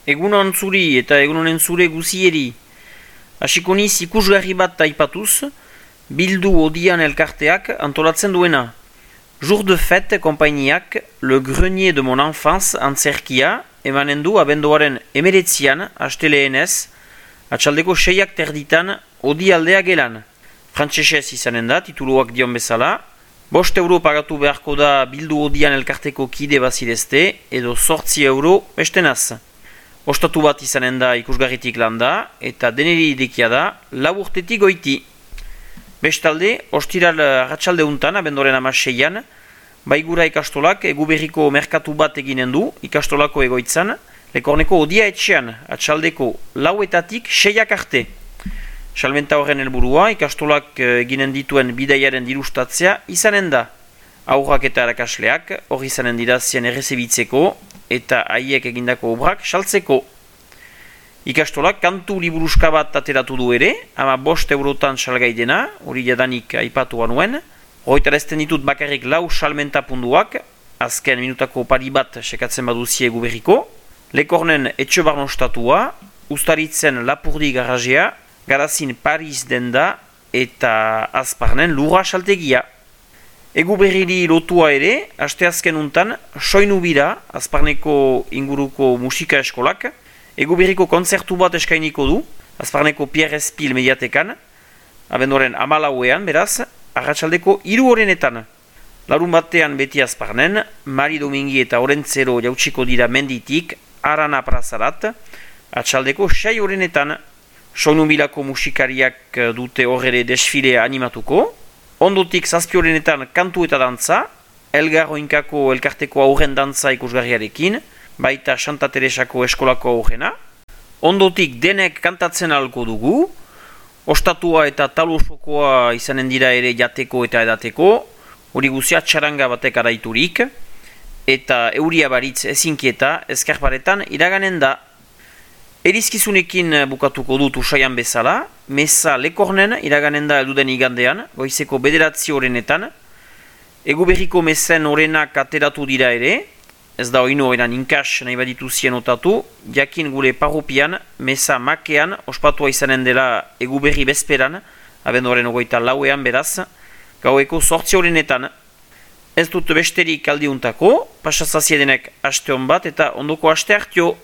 Egunon zuri eta egunonen zure guzieri. Hasiko niz ikusgarri bat aipatuz, bildu odian elkarteak antolatzen duena. Jour de fête konpainiak Le Grenier de mon enfance antzerkia emanen du abenduaren 19an asteleenez, atxaldeko 6ak terditan odi aldea gelan. Frantsesez izanen da, tituluak dion bezala, 5 euro pagatu beharko da bildu odian elkarteko kide bazirezte, edo 8 euro bestenaz. Ostatu bat izanen da ikusgarritik landa, eta deneri idekia da 4 urtetik goiti. Bestalde, ostiral arratsalde untan, abendoren 16an, Baigura ikastolak Eguberriko merkatu bat eginen du ikastolako egoitzan, Lekorneko odia etxean, atxaldeko 4etatik 6ak arte. Salmenta horren helburua ikastolak eginen dituen bidaiaren dirustatzea izanen da. Aurrak eta erakasleak hori izanen dira zien errezebitzeko eta haiek egindako obrak saltzeko. Ikastolak kantu liburuska bat ateratu du ere, ama 5 eurotan salgai dena, hori jadanik aipatu nuen. Hoitarezten ditut bakarrik 4 salmenta punduak, azken minutako pari bat sekatzen baduzie Eguberriko. Lekornen etxe barnostatua, Ustaritzen Lapurdi garajea, Garazin Paris denda eta Azparnen lurra saltegia. Eguberriri lotua ere, asteazken untan, soinu bira, Azparneko inguruko musika eskolak, Eguberriko kontzertu bat eskainiko du, Azparneko Pierre Espil mediatekan, abendoren 14ean, beraz, arratsaldeko 3 horrenetan. Larun batean beti Azparnen, Mari Domingi eta Orentzero jautsiko dira menditik, Arana prazarat, atxaldeko 6 horrenetan. Soinu bilako musikariak dute horre desfilea animatuko, ondotik 7 horrenetan kantu eta dantza, Elgar Oinkako elkarteko aurren dantza ikusgarriarekin, baita Santa Teresako eskolako aurrena. Ondotik denek kantatzen ahalko dugu, ostatua eta talosokoa izanen dira ere jateko eta edateko, hori guzia txaranga batek araiturik, eta euria baritz ezinkieta eskarparetan iraganen da. Erizkizunekin bukatuko dut usaian bezala, meza Lekornen iraganen da elduden igandean, goizeko 9 horrenetan. Eguberriko mezen horrenak ateratu dira ere, ez da oino eran inkas nahi baditu zien otatu, jakin gure parropian, meza makean, ospatua izanen dela Eguberri bezperan, abenduaren 24ean beraz, gaueko 8 horrenetan. Ez dut besterik aldiuntako, pasazaziedenek aste hon bat eta ondoko aste hartio.